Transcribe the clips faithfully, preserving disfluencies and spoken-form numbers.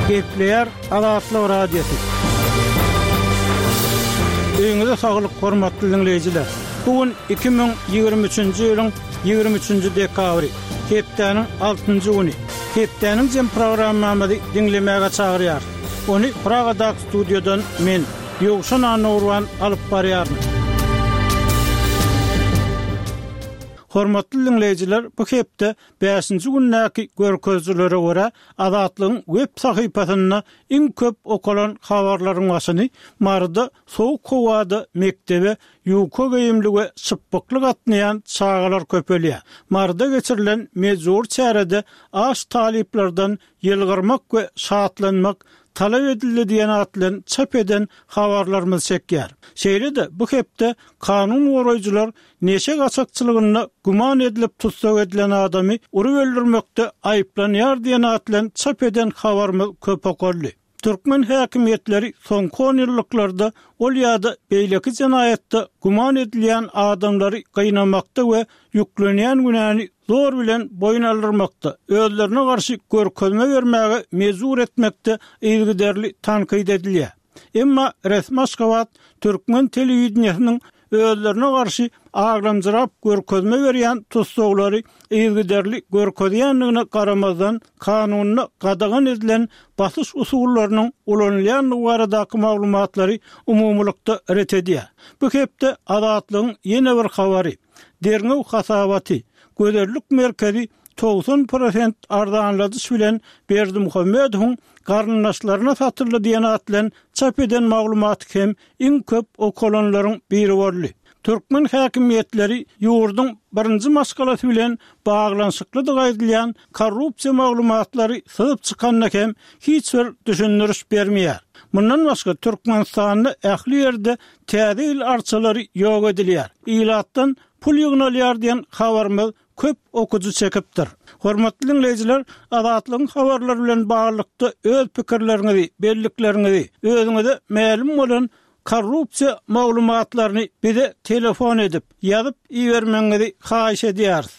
Gepleýär Azatlyk Radiosy. Öýüňize saglyk, hormatly diňleýjiler. Bu gün iki müň ýigrimi üçünji ýylyň ýigrimi üçünji dekabry, hepdäniň altynjy güni. Hepdäniň jem programmamyzy diňlemäge çagyrýarys. Ony Pragadaky studiýadan men, Ýowşan Annagurban alyp barýaryn. Hormatly diňleýjiler, bu hepde bäşinji gündäki görkezijilere görä, Azatlygyň web sahypasynda iň köp okalan habarlaryň başyny Maryda sowuk howada mekdebe ýuka geýimli we şypbykly gatnaýan çagalar köpelýär. Maryda geçirilen mejbury çärede aç talyplardan ýylgyrmak we şatlanmak talap edildi diýen at bilen çap eden habarlarymyz çekýär. Şeýle-de bu hepde kanun goraýjylar neşe gaçakçylygynda güman edilip tussag edilen adamy urup öldürmekde aýyplanýar diýen at bilen çap eden habarymyz köp okaldy. Türkmen häkimiýetleri soňky onýyllyklarda ol ýa-da beýleki jenaýatda güman edilýän adamlary gynamakda we ýüklenýän günäni zor bilen boýun aldyrmakda, özlerine garşy görkezme bermäge mejbur etmekde yzygiderli tankyt edilýär. Emma resmi Aşgabat türkmen telewideniýesiniň özlerine garşy aglamjyrap görkezme berýän tussaglary yzygiderli görkezýändigine garamazdan, kanunda gadagan edilen basyş usullarynyň ulanylýandygy baradaky maglumatlary umumylykda ret edýär. Bu hepde Azatlygyň ýene bir habary, derňew hasabaty, Gözellik merkezi togsan prosent arzanladyş bilen Berdimuhamedowyň garyndaşlaryna satyldy diýen at bilen çap eden maglumaty hem iň köp okalanlaryň biri boldy. Türkmen häkimiýetleri ýurduň birinji maşgalasy bilen baglanyşyklydygy aýdylýan korrupsiýa maglumatlary syzyp çykanda hem hiç bir düşündiriş bermeýär. Mundan başga, Türkmenistanda ähli ýerde Täze ýyl arçalary ýok edilýär, ilatdan pul ýygnalýar diýen habarymyz köp okyjy çekipdir. Hormatly diňleýjiler, Azatlygyň habarlary bilen baglylykda öz pikirleriňizi, bellikleriňizi, özüňize mälim bolan korrupsiýa maglumatlaryny bize telefon edip, ýazyp ibermegiňizi haýyş edýäris.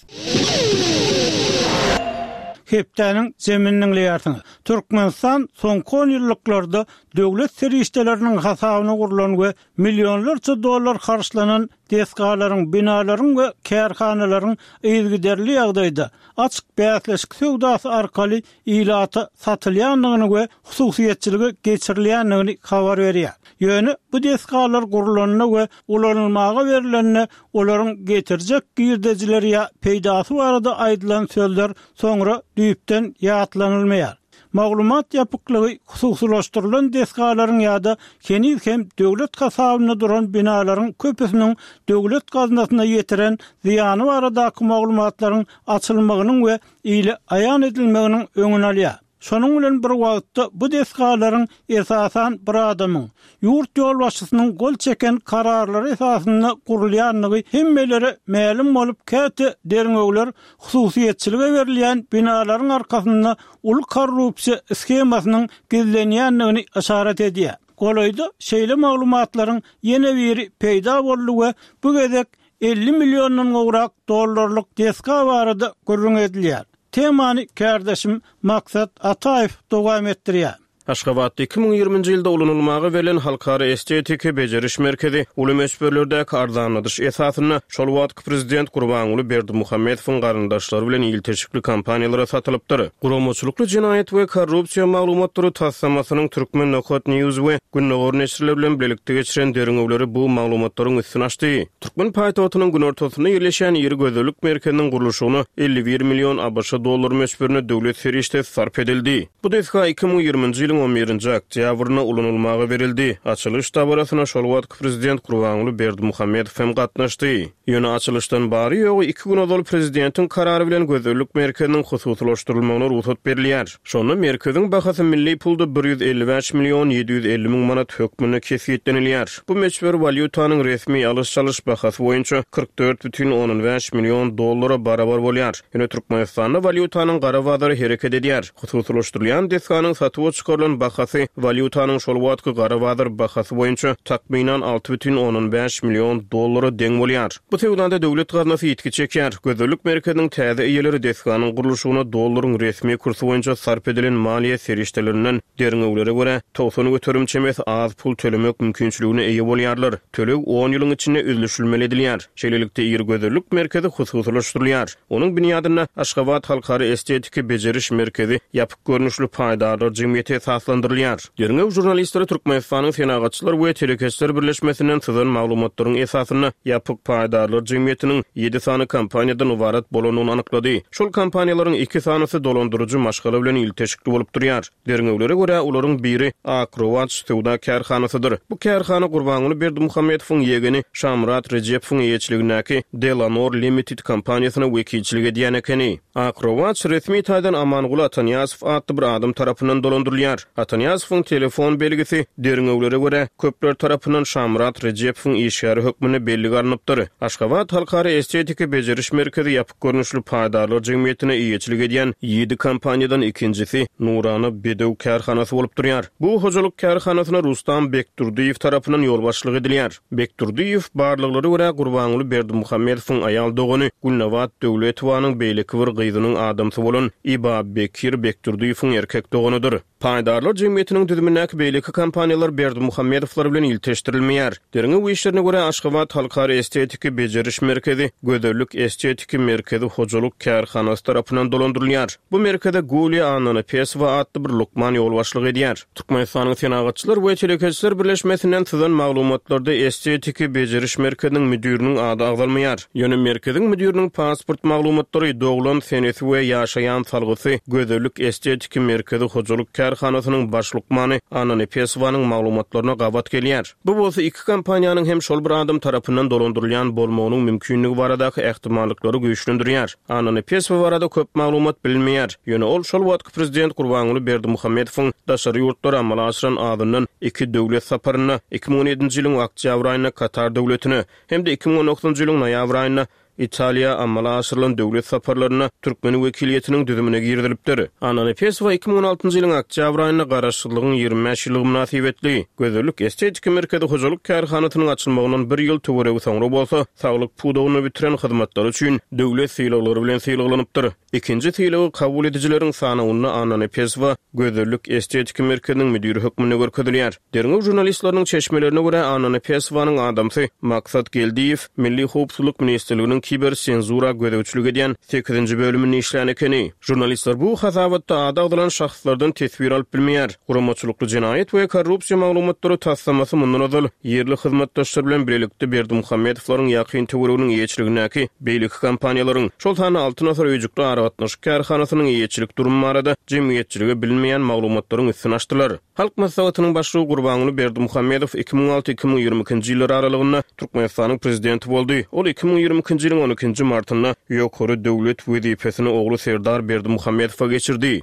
Hepdäniň jemini diňleýärsiňiz. Türkmenistan soňky onýyllyklarda döwlet serişdeleriniň hasabyna gurlan we millionlarça dollar harçlanan desgalaryň, binalaryň we kärhanalaryň yzygiderli ýagdaýda açyk bäsleşik söwdasy arkaly ilata satylýandygyny we hususyýetçilige geçirilýändigini habar berýär. Ýöne bu desgalar gurlanda we ulanylmaga berlende olaryň getirjek girdejileri ýa peýdasy barada aýdylan sözler soňra düýpden ýatlanylmaýar. Maglumat ýapyklygy hususylaşdyrylan desgalaryň ýa-da heniz hem döwlet hasabynda duran binalaryň köpüsiniň döwlet gaznasyna ýetiren zyýany baradaky maglumatlaryň açylmagynyň we ile aýan edilmeginiň öňüni alýar. Şonuň bilen bir wagtda bu desgalaryň esasan bir adamyň, ýurt ýolbaşçysynyň gol çeken kararlary esasynda gurulýandygy hemmelere mälim bolup, käte derňewler hususyýetçilige berilýän binalaryň arkasynda uly korrupsiýa shemasynyň gizlenýändigini yşarat edýär. Golaýda şeýle maglumatlaryň ýene biri peýda boldy we bu gezek elli milliondan gowrak dollarlyk desga barada gürrüň edilýär. Temany kärdeşim Maksat Ataýew dowam etdirýär. Aşgabatda iki müň ýigriminji ýylda ulanylmaga berlen Halkara estetiki bejeriş merkezi uly möçberlerdäki arzanladyş esasynda şol wagtky prezident Gurbanguly Berdimuhamedowyň garyndaşlary bilen ilteşikli kompaniýalara satylypdyr. Guramaçylykly jenaýat we korrupsiýa maglumatlary taslamasynyň Turkmen Nokat News we Gündogar neşirleri bilen bilelikde geçiren derňewleri bu maglumatlaryň üstüni açdy. Türkmen paýtagtynyň günortasynda ýerleşýän iri gözellik merkeziniň gurluşygyna elli bir million ABŞ dollary möçberinde döwlet serişdesi sarp edildi. Bu desga iki müň ýigriminji ýylyň on birinji oktýabrynda ulanylmaga berildi. Açylyş dabarasyna şol wagtky prezident Gurbanguly Berdimuhamedow hem gatnaşdy. Ýöne açylyşdan bary-ýogy iki gün ozal prezidentiň karary bilen gözellik merkeziniň hususylaşdyrylmagyna rugsat berilýär. Şonda merkeziň bahasy milli pulda bir ýüz elli bäş million ýedi ýüz elli müň manat hökmünde kesgitlenilýär. Bu möçber walýutanyň resmi alyş-çalyş bahasy boýunça kyrk dört bütin ondan bäş million dollara barabar bolýar. Ýöne Türkmenistanda walýutanyň gara bazary hereket edýär. Hususylaşdyrylýan desganyň satuwa çykarylan goýlan bahasy walýutanyň şol wagtky gara bazar bahasy boýunça takmynan alty bütin ondan bäş million dollara deň bolýar. Bu söwdada döwlet gaznasy ýitgi çekýär. Gözellik merkeziniň täze eýeleri desganyň gurluşygyna dollaryň resmi kursy boýunça sarp edilen maliýe serişdelerinden derňewlere görä togsan göterim çemesi az pul tölemek mümkinçiligine eýe bolýarlar. Töleg on ýylyň içinde üzlüşilmeli edilýär. Şeýlelikde iri gözellik merkezi hususylaşdyrylýar. Onuň binýadynda Aşgabat halkara estetiki bejeriş merkezi ýapyk görnüşli paýdarlar jemgyýeti esaslandyrylýar. Derňew žurnalistleri Türkmenistanyň Senagatçylar we telekeçiler birleşmesinden syzan maglumatlaryň esasynda ýapyk paýdarlar jemgyýetiniň ýedi sany kompaniýadan ybarat bolandygyny anyklady. Şol kompaniýalaryň iki sanysy dolandyryjy maşgala bilen ilteşikli bolup durýar. Derňewlere görä olaryň biri Akrowaç söwda kärhanasydyr. Bu kärhana Gurbanguly Berdimuhamedowyň ýegeni Şamyrat Rejepowyň eýeçiligindäki Delanor Limited kompaniýasyna wekilçilik edýän ekeni. Akrowaç resmi taýdan Amanguly Atanyýazow atly bir adam tarapyndan dolandyrylýar. Atanyýazowyň telefon belgisi derňewlere görä köpler tarapyndan Şamyrat Rejepowyň işgäri hökmünde bellige alnypdyr. Aşgabat halkara estetiki bejeriş merkezi ýapyk görnüşli paýdarlar jemgyýetine eýeçilik edýän ýedi kompaniýadan ikinjisi Nurana Bedew kärhanasy bolup durýar. Bu hojalyk kärhanasyna Rustam Bekdurdyýew tarapyndan ýolbaşçylyk edilýär. Bekdurdyýew barlyklara görä Gurbanguly Berdimuhamedowyň aýal dogany Gülnabat Döwletowanyň beýleki bir gyzynyň adamsy bolan Iba Bekir Bekdurdyýewiň erkek doganydyr. Paýdarlar jemgyýetiniň düzümindäki beýleki kompaniýalar Berdimuhamedowlar bilen ilteşdirilmeýär. Derňew işlerine görä Aşgabat halkara estetiki bejeriş merkezi Gözellik estetiki merkezi hojalyk kärhanasy tarapyndan dolandyrylýar. Bu merkeze Gulya Annanapesowa atly bir lukman ýolbaşçylyk edýär. Türkmenistanyň Senagatçylar we telekeçiler birleşmesinden syzan maglumatlarda estetiki bejeriş merkeziniň müdüriniň ady agzalmaýar. Ýöne merkeziň müdüriniň pasport maglumatlary, doglan senesi we ýaşaýan salgysy Gözellik estetiki merkezi hojalyk kärhanasynyň baş lukmany Annanepesowanyň maglumatlaryna gabat gelýär. Bu bolsa iki kompaniýanyň hem şol bir adam tarapyndan dolandyrylýan bolmagynyň mümkinligi baradaky ähtimallyklary güýçlendirýär. Annanepesowa barada köp maglumat bilinmeýär. Ýöne ol şol wagtky prezident Gurbanguly Berdimuhamedowyň daşary ýurtlara amala aşyran azyndan iki döwlet saparynda iki müň on ýedinji ýylyň oktýabr aýynda Katar döwletine hem-de iki müň on dokuzynjy ýylyň noýabr aýynda Italiýa amala aşyrylan döwlet saparlaryna türkmen wekiliýetiniň düzümine girizilipdir. Annanepesowa iki müň on altynjy ýylyň oktýabr aýynda garaşsyzlygyň ýigrimi bäş ýyllygy mynasybetli Gözellik estetiki merkezi hojalyk kärhanasynyň açylmagyndan bir ýyl töweregi soňra bolsa saglyk pudagyny bitiren hyzmatlary üçin döwlet sylaglary bilen sylaglanypdyr. Ikinji sylagy kabul edijileriň sanawynda Annanepesowa Gözellik estetiki merkeziniň müdiri hökmünde görkezilýär. Derňew žurnalistleriniň çeşmelerine görä Annanepesowanyň adamsy Maksat Geldiýew Milli Howpsuzlyk ministrliginiň kiber senzura gözegçilik edýän sekizinji bölüminde işlän ekeni. Žurnalistler bu hasabatda ady agzalan şahslardan teswir alyp bilmeýär. Guramaçylykly jenaýat we korrupsiýa maglumatlary taslamasy mundan ozal ýerli hyzmatdaşlar bilen birlikde Berdimuhamedowlaryň ýakyn töwereginiň eýeçiligindäki beýleki kompaniýalaryň, şol sanda Altyn asyr öýjükli aragatnaşyk kärhanasynyň eýeçilik durumy barada jemgyýetçilige bilinmeýän maglumatlaryň üstüni açdylar. Halk Maslahatynyň başlygy Gurbanguly Berdimuhamedow iki müň alty iki müň ýigrimi ikinji ýyllar aralygynda Türkmenistanyň prezidenti boldy. Ol iki müň ýigrimi ikinji ýylyň on ikinji martynda ýokary döwlet wezipesini ogly Serdar Berdimuhamedowa geçirdi.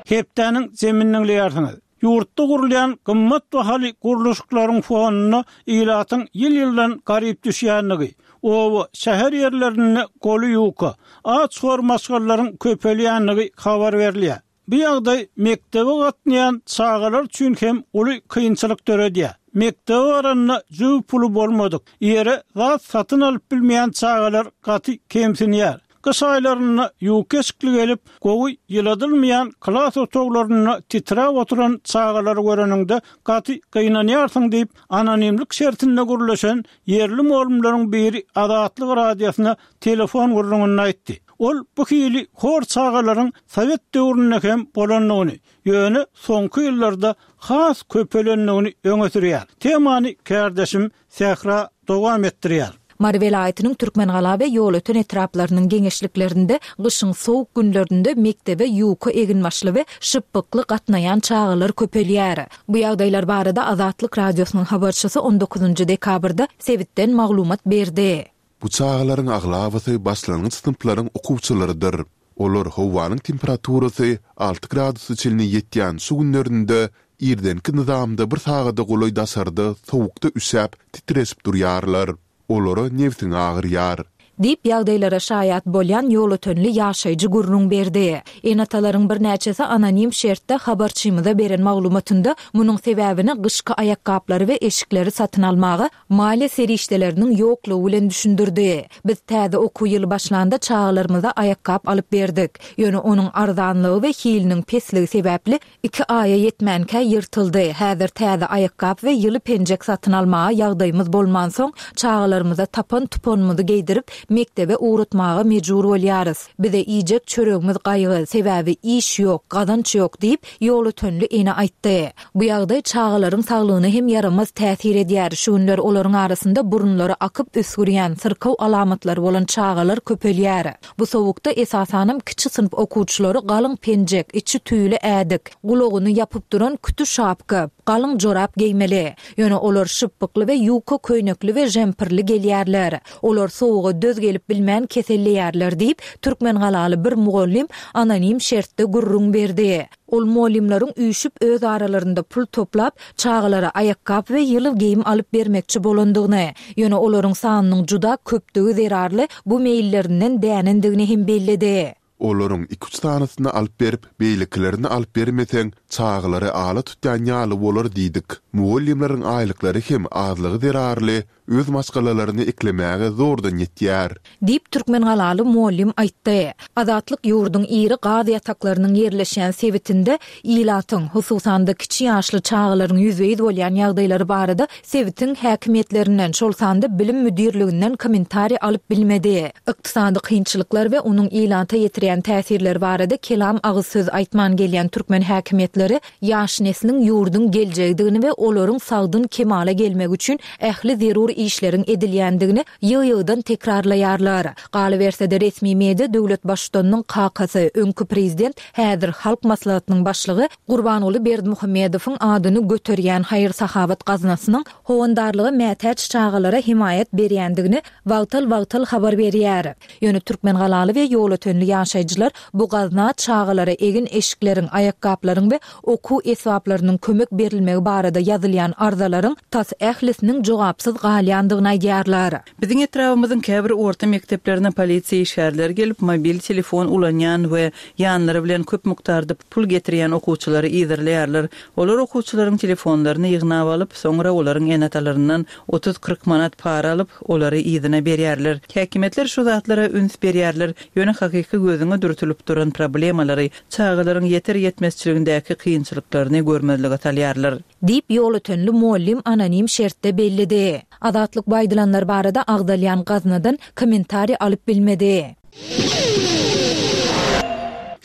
Hepdäniň zeminiň diýersiňiz. Ýurtda gurulýan gymmat bahaly gurluşyklaryň fonunda ilatyň ýyl-ýyldan garyp düşýänligi, oba şäher ýerlerinde goly ýuka, aç hor maşgalaryň köpelýänligi habar berilýär. Bu ýagdaý mektebe gatnaýan çagalar üçin hem uly kynçylyk döredýär. Mektebe baranda jüw puly bolmadyk, ýere zat satyn alyp bilmeýän çagalar gaty kemsinýär. Gyş aýlarynda ýuka eşikli gelip, gowy ýyladylmaýan klas otaglarynda titräp oturan çagalary göreniňde gaty gynanýarsyň diýip, anonimlik şertinde gürleşen ýerli mugallymlaryň biri Azatlyk radiosyna telefon gürrüňini aýtdy. Ol bu hili hor çagalaryň Sowet döwründe hem bolandygyny, ýöne soňky ýyllarda has köpelendigini öňe sürýär. Temany kärdeşim Sähra dowam etdirýär. Mary welaýatynyň Türkmengala we Ýolöten etraplarynyň geňeşliklerinde gyşyň sowuk günlerinde mektebe ýuka eginbaşly we şypbykly gatnaýan çagalar köpelýär. Bu ýagdaýlar barada Azatlyk radiosynyň habarçysy on dokuzynjy dekabrda sebitden maglumat berdi. Bu çagalaryň aglabasy başlangyç synplaryň okuwçylarydyr. Olar howanyň temperaturasy alty gradusa çenli ýetýän şu günlerinde irdenki nyzamda bir sagada golaý daşarda sowukda üşäp, titreşip durýarlar. Olara nebsiň agyrýar. Diýip, ýagdaýlara şaýat bolýan ýolötenli ýaşaýjy gürrüň berdi. Ene-atalaryň birnäçesi anonim şertde habarçymyza beren maglumatynda munuň sebäbini gyşky aýakgaplary we eşikleri satyn almaga maliýe serişdeleriniň ýoklugy bilen düşündirdi. Biz täze okuw ýyly başlanda çagalarymyza aýakgap alyp berdik. Ýöne onuň arzanlygy we hiliniň pesligi sebäpli iki aýa ýetmänkä ýyrtyldy. Häzir täze aýakgap we ýyly penjek satyn almaga ýagdaýymyz bolmansoň, çagalarymyza tapan-tupanymyzy geýdirip, mekdebe ugratmaga mejbur bolýarys. Bize iýjek çöregimiz gaýgy, sebäbi iş ýok, gazanç ýok diýip, ýolötenli ene aýtdy. Bu ýagdaý çagalaryň saglygyna hem ýaramaz täsir edýär. Şu günler olaryň arasynda burunlary akyp üsgürýän, syrkaw alamatlary bolan çagalar köpelýär. Bu sowukda esasanam kiçi synp okuwçylary galyň penjek, içi tüýli ädik, gulagyny ýapyp duran küti şapka, galyň jorap geýmeli. Ýöne olar şypbykly we ýuka köýnekli we žempirli gelýärler. Olar sowuga döz gelip bilmän keselleýärler diýip, türkmengalaly bir mugallym anonim şertde gürrüň berdi. Ol mugallymlaryň üýşüp öz aralarynda pul toplap, çagalara aýakgap we ýyly geýim alyp bermekçi bolandygyny, ýöne olaryň sanynyň juda köpdügi zerarly bu meýillerinden dänendigini hem belledi. Olaryň iki-üç sanysyny alyp berip, beýlekilerini alyp bermeseň, çagalary ala tutýan ýaly bolar diýdik. Mugallymlaryň aýlyklary hem azlygy zerarly öz maşgalalaryny eklemäge zordan ýetýär. Diýip, türkmengalaly mugallym aýtdy. Azatlyk ýurduň iri gaz ýataklarynyň ýerleşýän sebitinde ilatyň, hususan-da, kiçi ýaşly çagalaryň ýüzbe-ýüz bolýan ýagdaýlary barada sebitiň häkimiýetlerinden, şol sanda bilim müdirliginden kommentariý alyp bilmedi. Ykdysady kynçylyklar we onuň ilata ýetirýän täsirleri barada kelam agyz söz aýtman gelýän türkmen häkimiýetleri ýaş nesliň ýurduň geljegidigini we olaryň sagdyn kemala gelmegi üçin ähli zerur işleriň edilýändigini ýygy-ýygydan tekrarlaýarlar. Galyberse-de, resmi media döwlet Baştutanynyň kakasy, öňki prezident, häzir Halk Maslahatynyň başlygy Gurbanguly Berdimuhamedowyň adyny göterýän haýyr-sahawat gaznasynyň howandarlyga mätäç çagalara hemaýat berýändigini wagtal-wagtal habar berýär. Ýöne türkmengalaly we ýolötenli ýaşaýjylar bu gazna çagalara egin-eşikleriň, aýakgaplaryň we okuw esbaplarynyň kömek berilmegi barada ýazylýan arzalaryň tas ählisiniň jogapsyz galýandygyny aýdýarlar. Biziň etrabymyzyň käbir orta mekdeplerine polisiýa işgärleri gelip, mobil telefon ulanýan we ýanlary bilen köp mukdarda pul getirýän okuwçylary yzarlaýarlar. Olar okuwçylaryň telefonlaryny ýygnap alyp, soňra olaryň ene-atalaryndan otuz-kyrk manat para alyp, olary yzyna berýärler. Häkimiýetler şu zatlara üns berýärler, ýöne hakyky gözüňe dürtülip duran problemalary, çagalaryň ýeter-ýetmezçiligindäki kynçylyklaryny görmezlige salýarlar. Diýip, ýolötenli mugallym anonim şertde belledi. Azatlyk bu aýdylanlar barada agzalýan gaznadan kommentariý alyp bilmedi.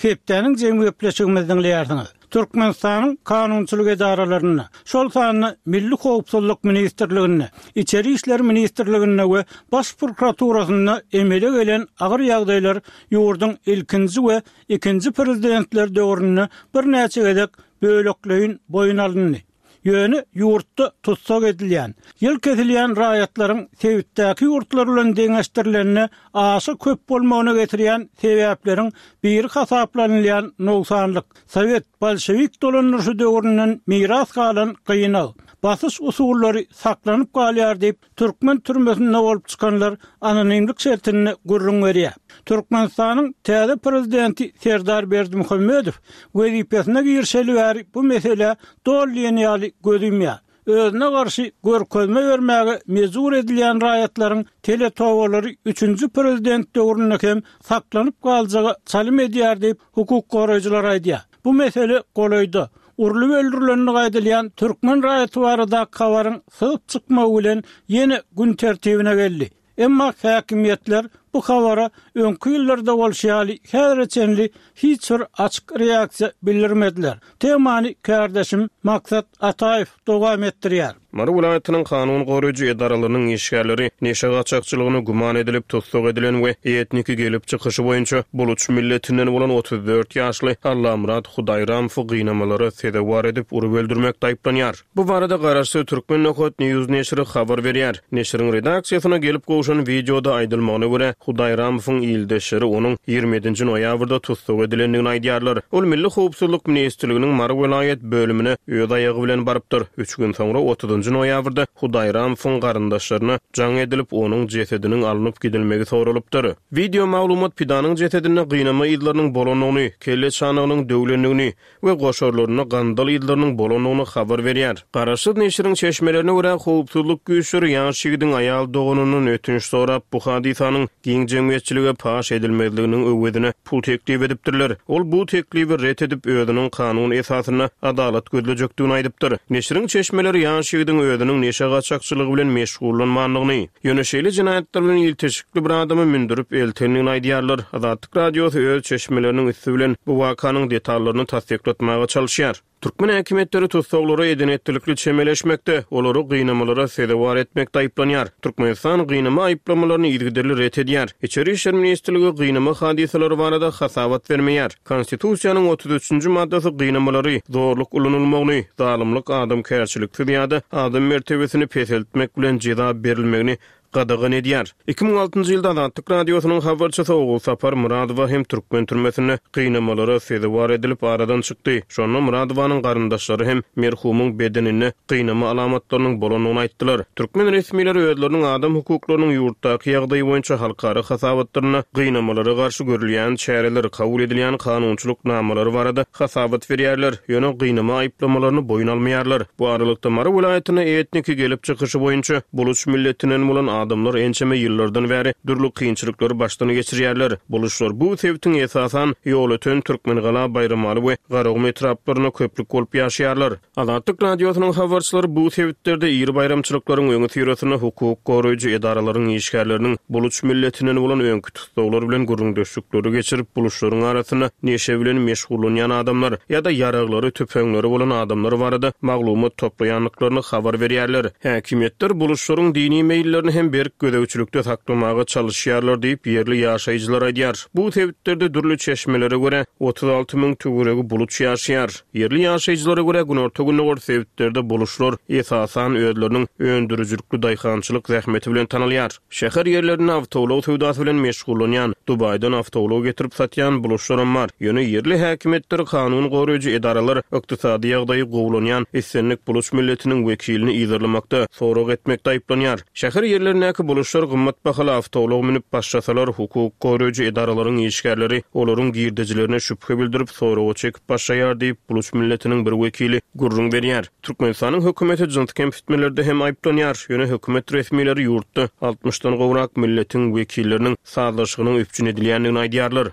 Hepdäniň jemi gepleşigimizi diňleýärsiňiz. Türkmenistanyň kanunçylyk edaralarynda, şol sanda Milli howpsuzlyk ministrliginde, Içeri işler ministrliginde we Baş prokuraturasynda emele gelen agyr ýagdaýlar ýurduň ilkinji we ikinji prezidentleri döwründe birnäçe gezek bölekleýin boýun alyndy. Ýöne ýurtda tussag edilýän, ýyl kesilýän raýatlaryň sebitdäki ýurtlar bilen deňeşdirilende aşa köp bolmagyna getirýän sebäpleriň biri hasaplanylýan nogsanlyk, sowet, bolşewik dolandyryşy döwründen miras galan gynag, basyş usullary saklanyp galýar diýip, Türkmen türmesinde bolup çykanlar anonimlik şertinde gürrüň berýär. Türkmenistanyň täze prezidenti Serdar Berdimuhamedow wezipesine girişeli bäri bu meselä doly diýen ýaly göz ýumýar. Özüne garşy görkezme bermäge mejbur edilýän raýatlaryň teletobalary üçünji prezident döwründe hem saklanyp galjaga çalym edýär diýip, hukuk goraýjylar aýdýar. Bu mesele golaýda, urlup öldürilendigi aýdylýan türkmen raýaty baradaky habaryň syzyp çykmagy bilen ýene gün tertibine geldi. Emma häkimiýetler bu habara öňki ýyllarda bolşy ýaly häzire çenli hiç bir açyk reaksiýa bildirmediler. Temany kärdeşim Maksat Ataýew dowam etdirýär. Mary welaýatynyň kanun goraýjy edaralarynyň işgärleri neşe gaçakçylygyna güman edilip tussag edilen we etniki gelip çykyşy boýunça buluç milletinden bolan otuz dört ýaşly Allamyrat Hudaýramowy gynamalara sezewar edip urup öldürmekde aýyplanýar. Bu barada garaşsyz Turkmen. News neşiri habar berýär. Neşiriň redaksiýasyna gelip gowşan wideoda aýdylmagyna görä, Hudaýramowyň ildeşleri onuň ýigrimi ýedinji noýabrda tussag edilendigini aýdýarlar. Ol Milli howpsuzlyk ministrliginiň Mary welaýat bölümine öz aýagy bilen barypdyr. Üç gün soňra, otuzynjy noýabrda Hudaýramowyň garyndaşlaryna jaň edilip, onuň jesediniň alnyp gidilmegi soralypdyr. Wideo maglumat pidanyň jesedinde gynama yzlarynyň bolandygyny, kelle çanagynyň döwlendigini we goşarlarynda gandal yzlarynyň bolandygyny habar berýär. Garaşsyz neşiriň çeşmelerine görä, howpsuzlyk güýçleri ýaş ýigidiň aýal doganyndan ötünç sorap, bu hadysanyň giň jemgyýetçilige paş edilmezliginiň öwezine pul teklip edipdirler. Ol bu teklibi ret edip, özüniň kanun esasynda adalat gözlejekdigini aýdypdyr. Neşiriň çeşmeleri ýaş ýigidiň özüniň neşe gaçakçylygy bilen meşgullanmandygyny, ýöne şeýle jenaýatlar bilen ilteşikli bir adamy mündürip eltendigini aýdýarlar. Azatlyk Radiosy öz çeşmeleriniň üsti bilen bu wakanyň detallaryny tassyklatmaga çalyşýar. Türkmen häkimiýetleri tussaglara eden-etdilikli çemeleşmekde, olary gynamalara sezewar etmekde aýyplanýar. Türkmenistan gynama aýyplamalaryny yzygiderli ret edýär. Içeri işler ministrligi gynama hadysalary barada hasabat bermeýär. Konstitusiýanyň otuz üçünji maddasy gynamalary, zorluk ulanylmagyny, zalymlyk, adamkärçiliksiz ýa-da adam mertebesini peseltmek bilen jeza berilmegini gadagan edýär. Iki müň altynjy ýylda Azatlyk Radiosynyň habarçysy Ogulsapar Myradowa hem türkmen türmesinde gynamalara sezewar edilip aradan çykdy. Şonda Myradowanyň garyndaşlary hem merhumyň bedeninde gynama alamatlarynyň bolandygyny aýtdylar. Türkmen resmileri özleriniň adam hukuklarynyň ýurtdaky ýagdaýy boýunça halkara hasabatlarynda gynamalara garşy görülýän çäreler, kabul edilýän kanunçylyk namalary barada hasabat berýärler, ýöne gynama aýyplamalaryny boýun almaýarlar. Bu aralykda Mary welaýatynda etniki gelip çykyşy boýunça buluç milletinden bolan adamlar ençeme ýyllardan bäri dürli kynçylyklary başdan geçirýärler. Buluçlar bu sebitiň esasan Ýolöten, Türkmengala, Baýramaly we Garagum etraplarynda köplük bolup ýaşaýarlar. Azatlyk Radiosynyň habarçylary bu sebitlerde iri baýramçylyklaryň öňüsyrasynda hukuk goraýjy edaralaryň işgärleriniň buluç milletinden bolan öňki tussaglar bilen gürrüňdeşlikleri geçirip, buluçlaryň arasynda neşe bilen meşgullanýan adamlar ýa-da ýaraglary, tüpeňleri bolan adamlar barada maglumat toplaýandyklaryny habar berýärler. Häkimiýetler buluçlaryň dini meýillerini hem berk gözegçilikde saklamaga çalyşýarlar diýip, ýerli ýaşaýjylar aýdýar. Bu sebitlerde dürli çeşmelere görä otuz alty müň töweregi buluç ýaşaýar. Ýerli ýaşaýjylara görä günorta-gündogar sebitlerde buluçlar esasan özleriniň öndürijilikli daýhançylyk zähmeti bilen tanalýar. Şäher ýerlerinde awtoulag söwdasy bilen meşgullanýan, Dubaýdan awtoulag getirip satýan buluçlaram bar. Ýöne ýerli häkimiýetler, kanun goraýjy edaralar ykdysady ýagdaýy gowulanýan islendik buluç milletiniň wekilini yzarlamakda, sorag etmekde aýyplanýar. Şäher ýerlerindäki buluçlar gymmat bahaly awtoulag münüp başlasalar, hukuk goraýjy edaralaryň işgärleri olaryň girdejilerine şübhe bildirip, soraga çekip başlaýar diýip, buluç milletiniň bir wekili gürrüň berýär. Türkmenistanyň hökümeti jyns kemsitmelerde hem aýyplanýar. Ýöne hökümet resmileri ýurtda altmyşdan gowrak milletiň wekilleriniň sazlaşygynyň üpjün edilýändigini aýdýarlar.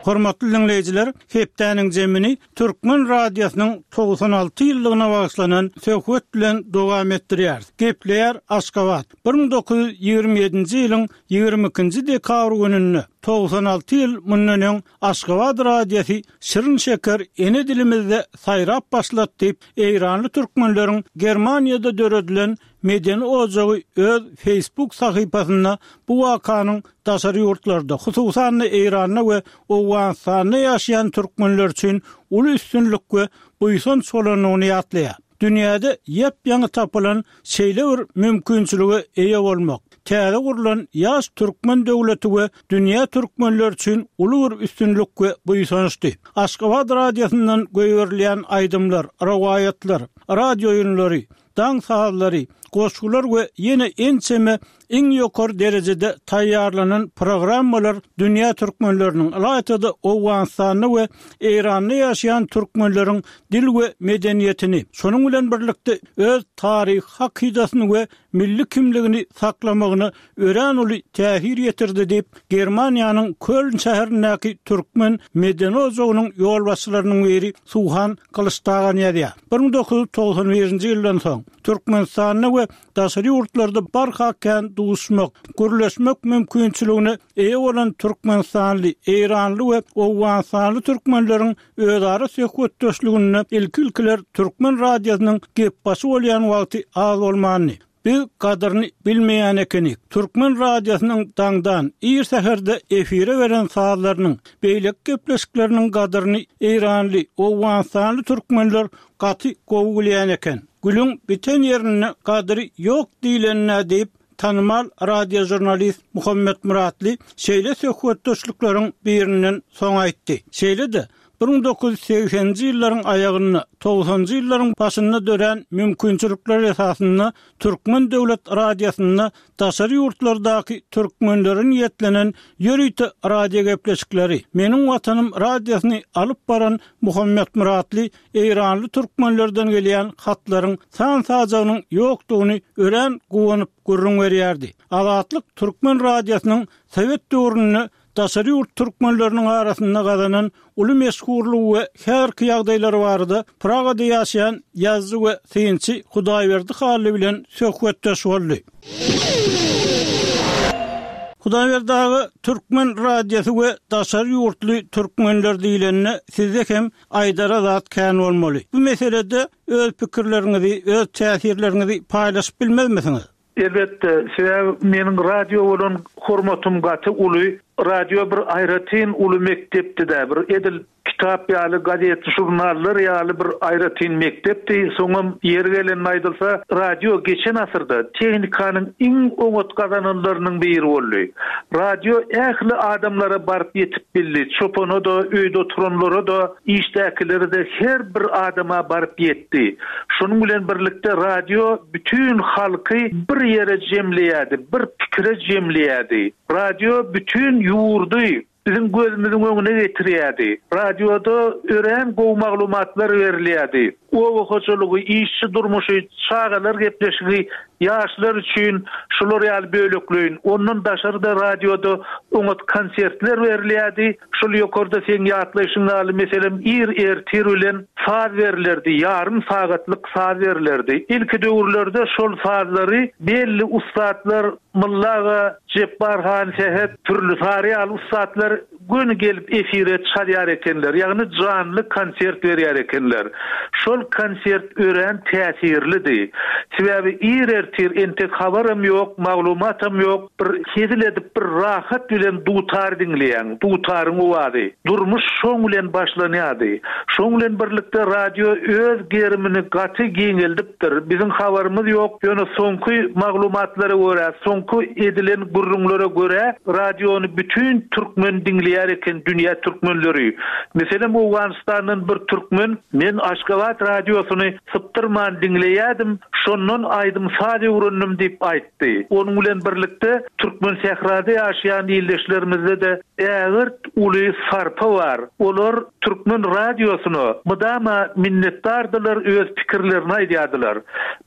Hormatly dinleýjiler, hepdäniň jemini Türkmen radiosynyň togsan alty ýyllygyna bagyşlanan söhbet bilen dowam etdirýär. Gepleýär Aşgabat. Bir müň dokuz ýüz ýigrimi ýedinji ýylyň ýigrimi ikinji dekabr gününde togsan alty ýyl mundan öň Aşgabat radiosy şirin şeker ene dilimizde saýrap başlady diýip, Eýranly türkmenleriň Germaniýada döredilen medeni ojagy öz Facebook sahypasynda bu wakanyň daşary ýurtlarda, hususan-da Eýranda we Owganystanda ýaşaýan türkmenler üçin uly üstünlik we buýsanç bolandygyny ýatlaýar. Dünýäde ýap-ýaňy tapylan şeýle bir mümkinçilige eýe bolmak, täze gurlan ýaş türkmen döwleti we dünýä türkmenleri üçin uly bir üstünlik we buýsançdy. Aşgabat radiosyndan goýberilýän aýdymlar, rowaýatlar, radio oýunlary, daň sazlary, goşgular we ýene ençeme iň ýokary derejede taýýarlanan programmalar dünýä türkmenleriniň, ylaýta-da Owganystanda we Eýranda ýaşaýan türkmenleriň dil we medeniýetini, şonuň bilen birlikde öz taryhy hakydasyny we milli kimligini saklamagyna örän uly täsir ýetirdi diýip, Germaniýanyň Köln şäherindäki türkmen medeni ojagynyň ýolbaşçylarynyň biri Suhan Gylyçdagan ýazýar. Bir müň dokuz ýüz togsan birinji ýyldan soň Türkmenistanda we daşary ýurtlarda barha kän duşmak, gürleşmek mümkinçiligine eýe bolan türkmenistanly, eýranly we owganystanly türkmenleriň özara söhbetdeşliginde ilki-ilkiler türkmen radiosynyň gepbaşy bolýan wagty az bolmandy. Biz gadyryny bilmeýän ekenik. Türkmen radiosynyň daňdan, ir säherde efire beren sazlarynyň, beýleki gepleşikleriniň gadyryny eýranly, owganystanly türkmenler gaty gowy bilýän eken. Gülüň biten ýerinde gadyry ýok diýlenine diýip, tanymal radiožurnalist Muhammet Muratly şeýle söhbetdeşlikleriň birinden soň aýtdy. Şeýle-de bir müň dokuz ýüz segseninji ýyllaryň aýagynda, togsanjy ýyllaryň başynda dörän mümkinçilikler esasynda Türkmen döwlet radiosynda daşary ýurtlardaky türkmenlere niýetlenen ýörite radio gepleşikleri Meniň Watanym radiosyny alyp baran Muhammet Muratly Eýranly türkmenlerden gelýän hatlaryň san-sajagynyň ýokdugyny örän guwanyp gürrüň berýärdi. Azatlyk Türkmen radiosynyň Sowet döwründe daşary ýurt türkmenleriniň arasynda gazanan uly meşhurlygy we häzirki ýagdaýlary barada Pragada ýaşaýan ýazyjy we synçy Hudaýberdi Hally bilen söhbetdeş boldy. Hudaýberdi aga, Türkmen radiosy we daşary ýurtly türkmenler diýlende sizde hem aýdara zat kän bolmaly. Bu meselede öz pikirleriňizi, öz täsirleriňizi paýlaşyp bilmezmisiňiz? Elbetde, sebäbi meniň radio bolan hormatym gaty uly. Radio bir aýratyn uly mekdepdi-dä, bir edil kitap ýaly, gazet, žurnallar ýaly bir aýratyn mekdepdi. Soňam ýeri gelende aýdylsa, radio geçen asyrda tehnikanyň iň oňat gazananlarynyň biri boldy. Radio ähli adamlara baryp ýetip bildi. Çopana-da, öýde oturanlara-da, işdäkilere-de her bir adama baryp ýetdi. Şonuň bilen birlikde radio bütin halky bir ýere jemleýärdi, bir pikire jemleýärdi. Radio bütin ýurdy biziň gözümiziň öňüne getirýärdi. Radioda örän gowy maglumatlar berilýärdi. Oba hojalygy, işçi durmuşy, çagalar gepleşigi ýaşlar üçin şular ýaly bölekleýin. Ondan daşary-da radioda oňat konsertler berilýärdi. Şol ýokarda seň ýatlaýşyň ýaly, meselem, ir ertir bilen saz berilerdi, ýarym sagatlyk saz berilerdi. Ilki döwürlerde şol sazlary belli ussatlar Molla aga, Jepbar han Sähet, Pürli Sary ýaly ussatlar göni gelip efire çalýar ekenler, ýagny janly konsert berýär ekenler. Şol konsert örän täsirlidi. Sebäbi ir ertir entek habaram ýok, maglumatam ýok, bir hezil edip bir rahat bilen dutar diňleýäň, dutaryň owazy. Durmuş şoň bilen başlanýardy. Şoň bilen birlikde radio öz gerimini gaty giňeldipdir. Biziň habarymyz ýok, ýöne soňky maglumatlara görä, soňky edilen gürrüňlere görä, radiony bütin türkmen diňleýär eken, dünýä türkmenleri. Meselem, Owganystandan bir türkmen, men Aşgabat radiosyny sypdyrman diňleýärdim, şondan aýdym-saz öwrendim diýip aýtdy. Onuň bilen birlikde türkmen sährada ýaşaýan ildeşlerimizde-de ägirt uly sarpa bar. Olar türkmen radiosyna mydama minnetdardylar, öz pikirlerini aýdýardylar.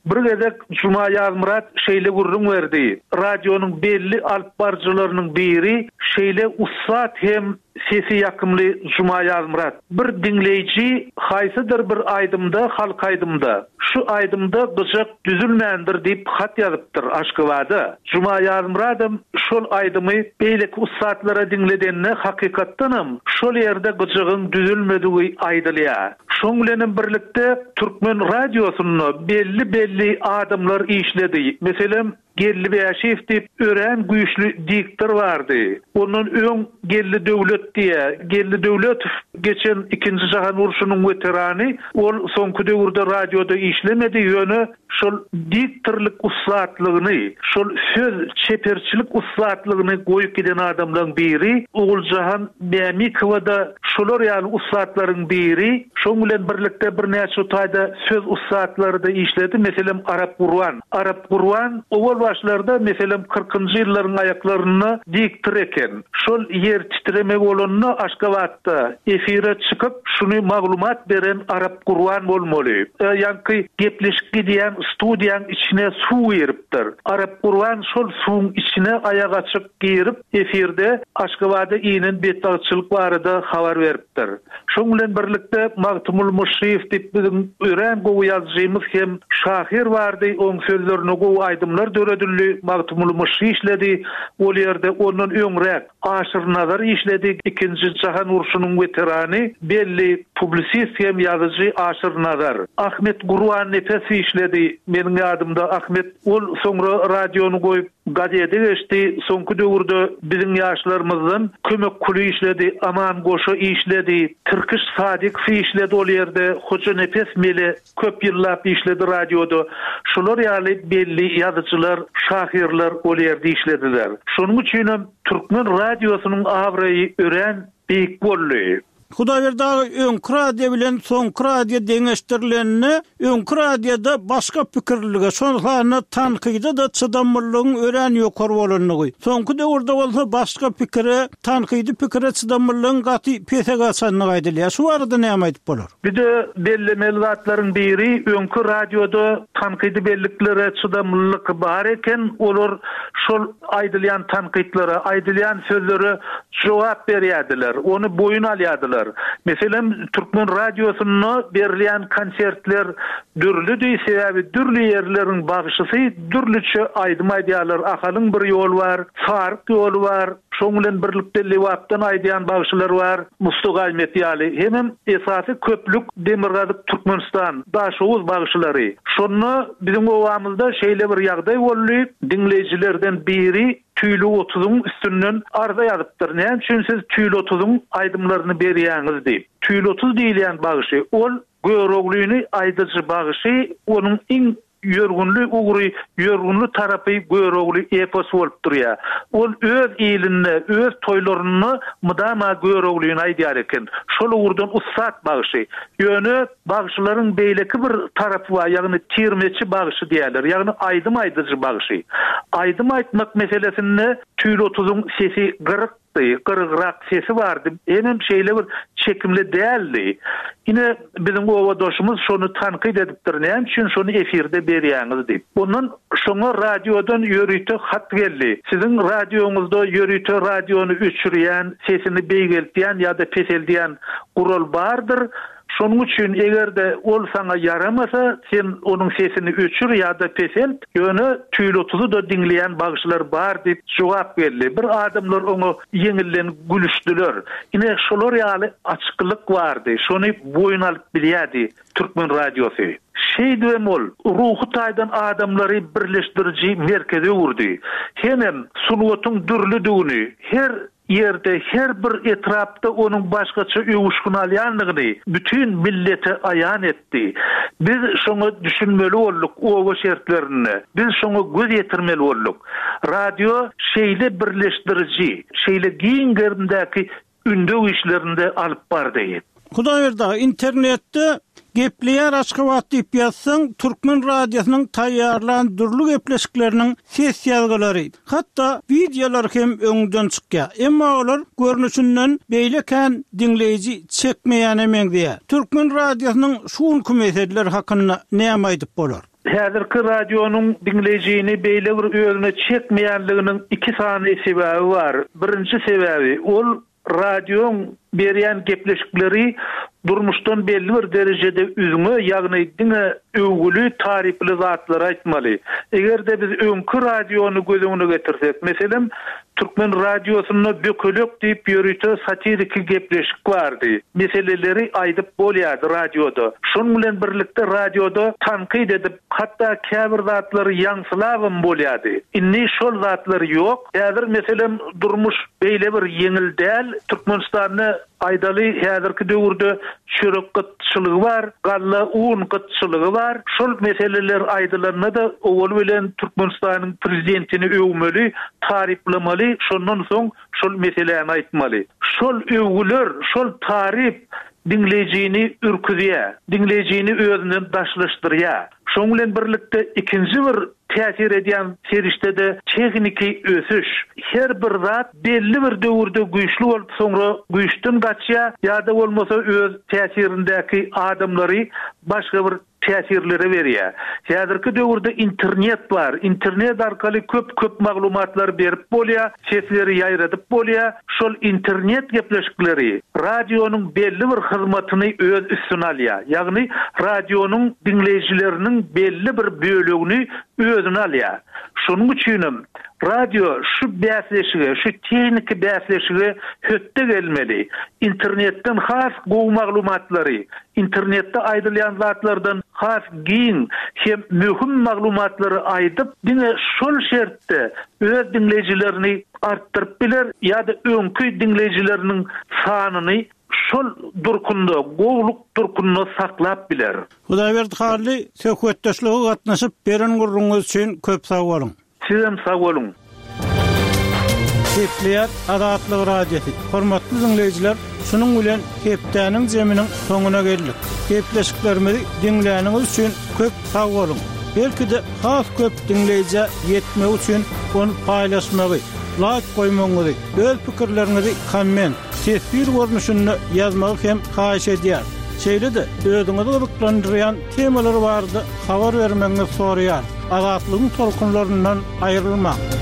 Bir gezek Juma Ýazmyrat şeýle gürrüň berdi. Radionyň belli alyp baryjylarynyň biri şeýle ussat hem sesi ýakymly Juma Ýazmyrat. Bir diňleýji haýsydyr bir aýdymda, halk aýdymda, şu aýdymda gyjak düzülmändir diýip hat ýazypdyr Aşgabada. Juma Ýazmyradam şol aýdymy beýleki ussatlara diňledende hakykatdanam şol ýerde gyjagyň düzülmedigi aýdylýar. Şoň bilenem birlikde Türkmen radiosynda belli-belli adamlar işledi. Meselem, Geldi Bäşiýew diýip örän güýçli diktor bardy. Ondan öň Geldi Döwlet diýä. Geldi Döwletow geçen ikinji jahan urşunyň weterany. Ol soňky döwürde radioda işlemedi, ýöne şol diktorlyk ussatlygyny, şol söz çeperçilik ussatlygyny goýup giden adamlaryň biri. Oguljahan Mämikowa-da şolar ýaly ussatlaryň biri. Şoň bilen birlikde birnäçe taýda söz ussatlary-da işledi. Meselem, Arap Gurban. Arap Gurban owal başlarda, meselem, kyrkynjy ýyllaryň aýaklarynda diktor eken. Şol ýer titreme bolanda Aşgabatda efire çykyp, şuny maglumat beren Arap Gurban bolmaly. Ýaňky gepleşik gidýän studiýaň içine suw giripdir. Arap Gurban şol suwuň içine aýak açyk girip, efirde Aşgabada inen betbagtçylyk barada habar beripdir. Şoň bilen birlikde Magtymguly Myşşyýew diýip biziň örän gowy ýazyjymyz hem şahyr bardy, oň sözlerine gowy aýdymlar döredildi, Magtymguly Myşşy işledi, ol ýerde ondan öňräk Aşyr Nazar işledi, ikinji jahan urşunyň weterany, belli publisist hem ýazyjy Aşyr Nazar. Ahmet Gurbannepes işledi, meniň ýadymda Ahmet, ol soňra radiony goýup, gazete geçdi. Soňky döwürde biziň ýaşlarymyzdan Kömek Kuly işledi, Aman Goşa işledi, Tirkiş Sadykow işledi ol ýerde, Hoja Nepes Mele köp ýyllap işledi radioda. Şular ýaly belli ýazyjylar, şahyrlar ol ýerde işlediler. Şonuň üçin hem Türkmen radiosynyň abraýy örän beýik boldy. Hudaýberdi aga, öňki radio bilen soňky radio deňeşdirilende, öňki radioda başga pikirlilige, şol sanda tankyda-da çydamlylygyň örän ýokary bolandygy, soňky döwürde bolsa başga pikire, tankydy pikire çydamlylygyň gaty pese gaçandygy aýdylýar. Şu barada näme aýdyp bolar? Bir-de bellemeli zatlaryň biri, öňki radioda tankydy belliklere çydamlylyk bar eken, olar şol aýdylýan tankytlara, aýdylýan sözlere jogap berýärdiler, ony boýun alýardylar. Meselem, Türkmen radiosynda berilýän konsertler dürlüdi, sebäbi dürli ýerleriň bagşysy dürlüçe aýdym aýdýarlar. Ahalyň bir ýoly bar, Saryk ýoly bar, şoň bilen birlikde Lebapdan aýdýan bagşylar bar, Mustafa Gaýmet ýaly. Hemem esasy köplük Demirgazyk Türkmenistan, Daşoguz bagşylary. Şonda biziň obamyzda şeýle bir ýagdaý boldy, diňleýjilerden biri Tüýli otuzyň üstünden arza ýazypdyr. Näme üçin siz Tüýli otuzyň aýdymlaryny berýäňiz diýip. Tüýli otuz diýilýän bagşy, ol Göroglyny aýdyjy bagşy, onuň iň ýörgünli ugry, ýörgünli tarapy Görogly epos bolup durýar. Ol öz ilinde, öz toýlarynda mydama Göroglyny aýdýar eken. Şol ugurdan ussat bagşy. Ýöne bagşylaryň beýleki bir tarapy bar, ýagny tirmeçi bagşy diýerler, ýagny aýdym aýdyjy bagşy. Aýdym aýtmak meselesinde Tüýli otuzyň sesi gyrykdy, gyrygrak sesi bardy, hemem şeýle bir çekimli däldi. Ine, biziň obadaşymyz şony tankyt edipdir, näme üçin şony efirde berýäňiz diýip. Ondan şoňa radiodan ýörite hat geldi. Siziň radioňyzda ýörite radiony öçürýän, sesini beýgeltýän ýa-da peseldýän gural bardyr. Şonuň üçin eger-de ol saňa ýaramasa, sen onuň sesini öçür ýa-da peselt, ýöne Tüýli otuzy-da diňleýän bagşylar bar diýip jogap geldi. Bir adamlar oňa ýeňilden gülüşdiler. Ine, şolar ýaly açyklyk bardy. Şony boýun alyp bilýärdi Türkmen radiosy. Şeýdibem ol ruhy taýdan adamlary birleşdiriji merkeze öwürdi. Hemem sungatyň dürlüdigini, her ýerde, her bir etrapda onuň başgaça öwüşgin alýandygyny bütin millete aýan etdi. Biz şoňa düşünmeli bolduk oba şertlerinde. Biz şoňa göz ýetirmeli bolduk. Radio şeýle birleşdiriji, şeýle giň gerimdäki ündew işlerinde alyp bardy. Hudaýberdi aga, internetde Gepleýär Aşgabat diýip ýazsaň, Türkmen radiosynyň taýýarlan dürli gepleşikleriniň ses ýazgylary, hatda wideolar hem öňden çykýar. Emma olar görnüşinden beýle kän diňleýji çekmeýäne meňzeýär. Türkmen radiosynyň şu günki meseleler hakynda näme aýdyp bolar? Häzirki radionyň diňleýjini beýle bir özüne çekmeýänliginiň iki sany sebäbi bar. Birinji sebäbi, ol radioň berýän gepleşikleri durmuşdan belli bir derejede üzňe, ýagny diňe öwgüli, taryply zatlary aýtmaly. Eger-de biz öňki radiony göz öňüne getirsek, meselem, Türkmen radiosynda Bökelek diýip ýörite satiriki gepleşik bardy. Meseleleri aýdyp bolýardy radioda. Şonuň bilen birlikde radioda tankyt edip, hatda käbir zatlary ýaňsylabam bolýardy. Indi şol zatlar ýok. Häzir meselem durmuş beýle bir ýeňil däl. Türkmenistanda aýdaly häzirki döwürde çörek gytçylygy bar, galla un gytçylygy bar. Şol meseleler aýdylanda-da owal bilen Türkmenistanyň prezidentini öwmeli, taryplamaly, şondan soň şol meseläni aýtmaly. Şol öwgüler, şol taryp diňleýjini ürküzýär, diňleýjini özünden daşlaşdyrýar. Şoň bilen birlikde ikinji bir täsir edýän serişde-de tehniki ösüş. Her bir zat belli bir döwürde güýçli bolup, soňra güýçden gaçýar ýa-da bolmasa öz täsirindäki adamlary başga bir täsirlere berýär. Häzirki döwürde internet bar. Internet arkaly köp-köp maglumatlar berip bolýar, sesleri ýaýradyp bolýar. Şol internet gepleşikleri radionyň belli bir hyzmatyny öz üstüne alýar. Ýagny radionyň diňleýjileriniň belli bir bölegini özüne alýar. Şonuň üçinem Radio şu bäsleşige, şu tehniki bäsleşige hötde gelmeli. Internetden has gowy maglumatlary, internetde aýdylýan zatlardan has giň hem möhüm maglumatlary aýdyp, diňe şol şertde öz diňleýjilerini artdyryp biler ýa-da öňki diňleýjileriniň sanyny şol durkunda, gowluk durkunda saklap biler. Hudaýberdi Hally, söhbetdeşlige gatnaşyp beren gürrüňiňiz üçin köp sag boluň. Sizem sag boluň. Gepleýär Azatlyk Radiosy. Hormatly diňleýjiler, şunuň bilen hepdäniň zeminiň soňuna geldik. Gepleşiklerimizi diňläniňiz üçin köp sag boluň. Belki-de has köp diňleýjä ýetmek üçin ony paýlaşmagy, laýk goýmagyňyzy, öz pikirleriňizi komment, teswir görnüşinde ýazmagy hem haýyş edýär. Şeýle-de özüňizi gyzyklandyrýan temalar barada habar bermegiňizi soraýar. Azatlygyň tolkunlaryndan aýrylmaň.